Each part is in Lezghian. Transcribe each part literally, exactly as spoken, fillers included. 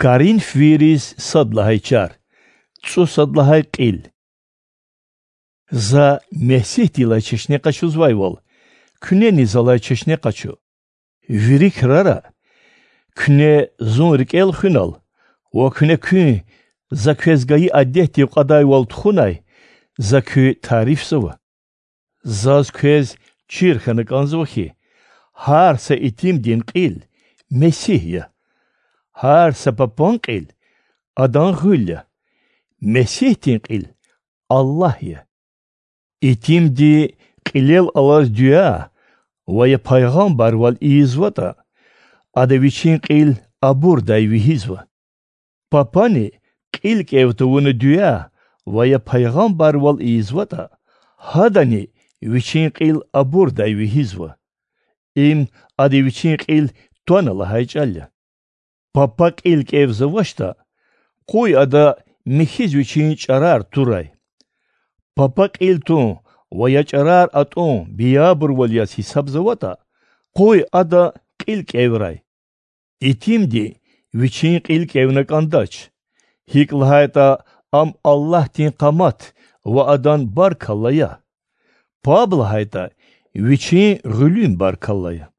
Коринфвийриз сад лагьай чар, цӀусад лагьай кьил. За Месигьдилай чешне къачузвайвал, куьнени залай чешне къачу. Вири крара, куьне зун рикӀел хуьнал ва куьне куьн за квез гайи адетдив кьадайвал тухунай, за куь тарифзава. Заз квез чир хьана кӀанзава хьи, гьар са итимдин кьил Месигь я, гьар са папан кьил Адан гъуьл я, Месигьдин кьил Аллагь я. Итимди кьилел алаз дуьа ва я пайгъамбарвал ийизватӀа, ада вичин кьил абурдай вегьизва. Папани кьил кӀев тавуна дуьа ва я пайгъамбарвал ийизватӀа, гьадани вичин кьил абурдай вегьизва. Им ада вичин кьил твана лагьай чӀал я. Папа кьил кӀевзавачтӀа, къуй ада михьиз вичин чӀарар турай. Папа кьил тун ва я чӀарар атӀун биябурвал яз гьисабзаватӀа, къуй ада кьил кӀеврай. Итимди вичин кьил кӀевна кӀандач, гьикӀ лагьайтӀа ам Аллагьдин къамат ва адан баркалла я. Паб лагьайтӀа вичин гъуьлуьн баркалла я.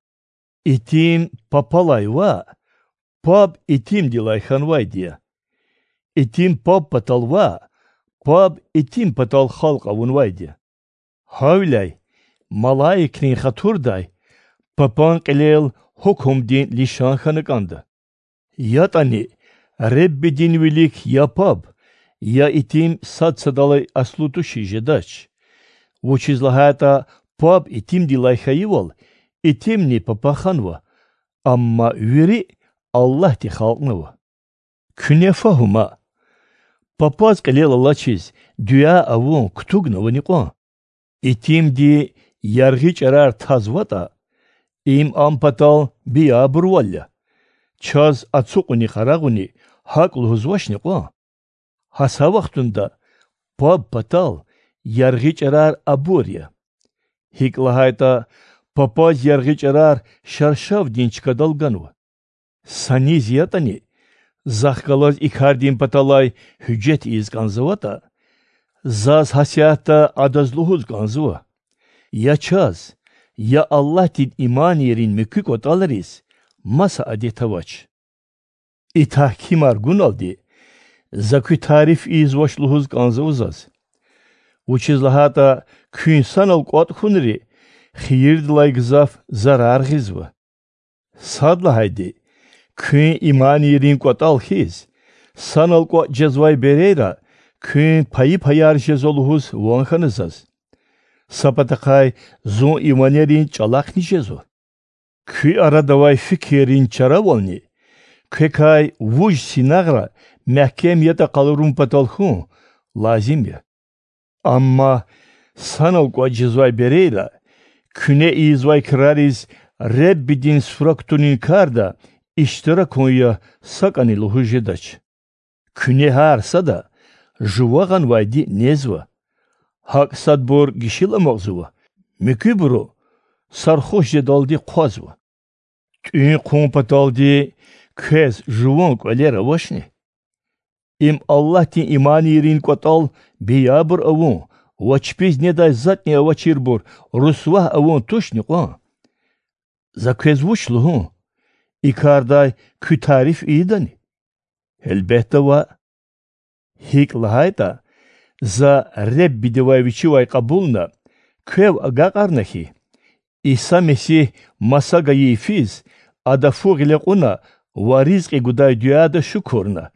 Итим папалай ваъ, паб итимдилай хьанвайди я. Итим паб патал ваъ, паб итим патал халкь авунвайди я. Гьавиляй малаикрин хатурдай папан кьилел гьукумдин лишан хьана кӀанда. ЯтӀани Реббидин вилик я паб, я итим сад садалай аслу тушиз жедач. Вучиз лагьайтӀа паб итимдилай хьайивал, итимни папа ханва, амма вири Аллагьди халкьнава. Куьне фагьума: папаз кьилел алачиз дуьа авун кутугнавани кьван? Итимди яргъи чӀарар тазватӀа, им ам патал биябурвал я. Чаз ацукьуни-къарагъуни гьакӀ лугьузвачни кьван? Гьа са вахтунда паб патал яргъи чӀарар абур я. ГьикӀ лагьайтӀа папаз яргъи чӀарар шаршавдин чкадал ганва. Са низ ятӀани, захъ галаз и кардин паталай гьуьжет ийиз кӀанзаватӀа, заз гьасятда адаз лугьуз кӀанзава: я чаз, я Аллагьдин иман ийирин муькуь кӀватӀалриз маса адет авач. И тагькимар гуналди, за куь тариф ийизвач лугьуз кӀанзава заз. Вучиз лагьайтӀа куьн санал кӀватӀ хьунри, хийирдилай гзаф зарар гъизва. Сад лагьайди, куьн иман ийирин кӀватӀал хьиз, санал кӀватӀ жезвай берейра куьн пайи-паяр жезва лугьуз ван хьана заз. Са патахъай зун и ванерин чӀалахъни жезва. Куь арада авай фикиррин чаравални квекай вуж синагъра мягькем ятӀа къалурун патал хьун лазим я. Амма санал кӀватӀ жезвай берейра куьне ийизвай крариз Реббидин суфра кутунин карда иштиракун я сакӀани лугьуз жедач. Куьне гьар сада жува гъанвайди незва. ГьакӀ садбур гишила амукьзава, муькуьбуру сархуш жедалди хъвазва. ТӀуьн-хъун паталди квез жуван кӀвалер авачни? Им Аллагьдин иман ийирин кӀватӀал биябур авун ва чпиз недай затӀни авачирбур русвагь авун тушни кьван? За квез вуч лугьун? И кардай куь тариф ийидани? Гьелбетда, ваъ. ГьикӀ лагьайтӀа, за Реббидивай Вичивай кьабулна, квев агакьарна хьи, Иса Месигь маса гайи йифиз Ада фу гъиле кьуна ва ризкьи гудай дуьада шукурна,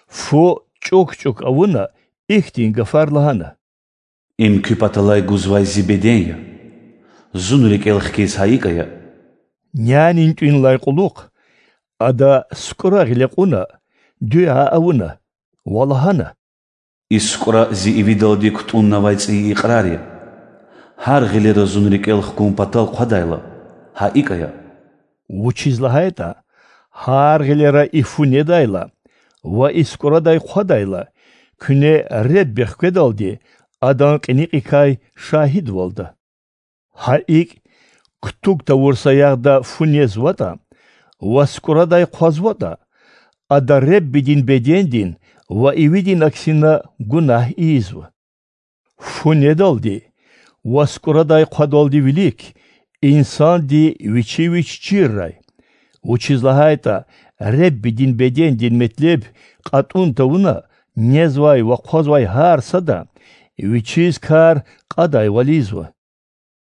фу чӀук-чӀук авуна, ихьтин гафар лагьана: Им куь паталай гузвай Зи беден я. Зун рикӀел хкиз гьа икӀ ая. Нянин тӀуьнлай кьулухъ Ада сукӀра гъиле кьуна, дуьа авуна ва лагьана: И сукӀра Зи ивидалди кутӀуннавай цӀийи икьрар я. Гьар гъилера Зун рикӀел хкун патал хъвадайла, гьа икӀ ая. Вучиз лагьайтӀа гьар гъилера и фу недайла ва и сукӀрадай хъвадайла, куьне Ребби хкведалди Адан кьиникьикай шагьидвал ада. Гьа икӀ, кутуг тавур саягъда фу незватӀа ва сукӀрадай хъвазватӀа, ада Худадин бедендин ва ивидин аксина гунагь ийизва. Фу недалди ва сукӀрадай хъвадалди вилик инсанди вичи вич чиррай, вучиз лагьайтӀа Худадин бедендин метлеб кьатӀун тавуна незвай ва хъвазвай гьар сада вичиз кар кьадайвал ийизва.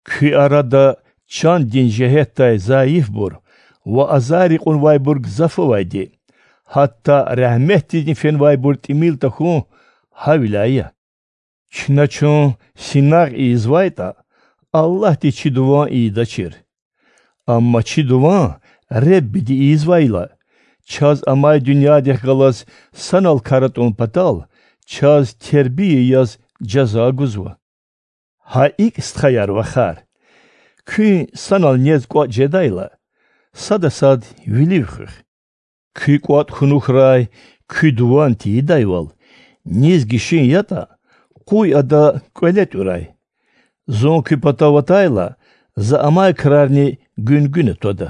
Куь арада чандин жигьетдай зайифбур ва азаррикьунвайбур гзаф авайди, гьатта рагьметдизни фенвайбур тӀимил тахьун гьавиляй я. Чна чун синагъ ийизвайтӀа, Аллагьди чи дуван ийидачир. Амма чи дуван Худадиди ийизвайла, чаз амай дуьньядихъ галаз санал кар атӀун патал чаз тербия яз жаза гузва. Гьа икӀ, стхаяр-вахар, куьн санал нез кӀватӀ жедайла, сада сад вилив хуьх. Куь кӀватӀ хьунухрай куь дуван тийидайвал, низ гишин ятӀа, къуй ада кӀвале тӀуьрай. Зун куь патав атайла, за амай крарни гуьнгуьна твада.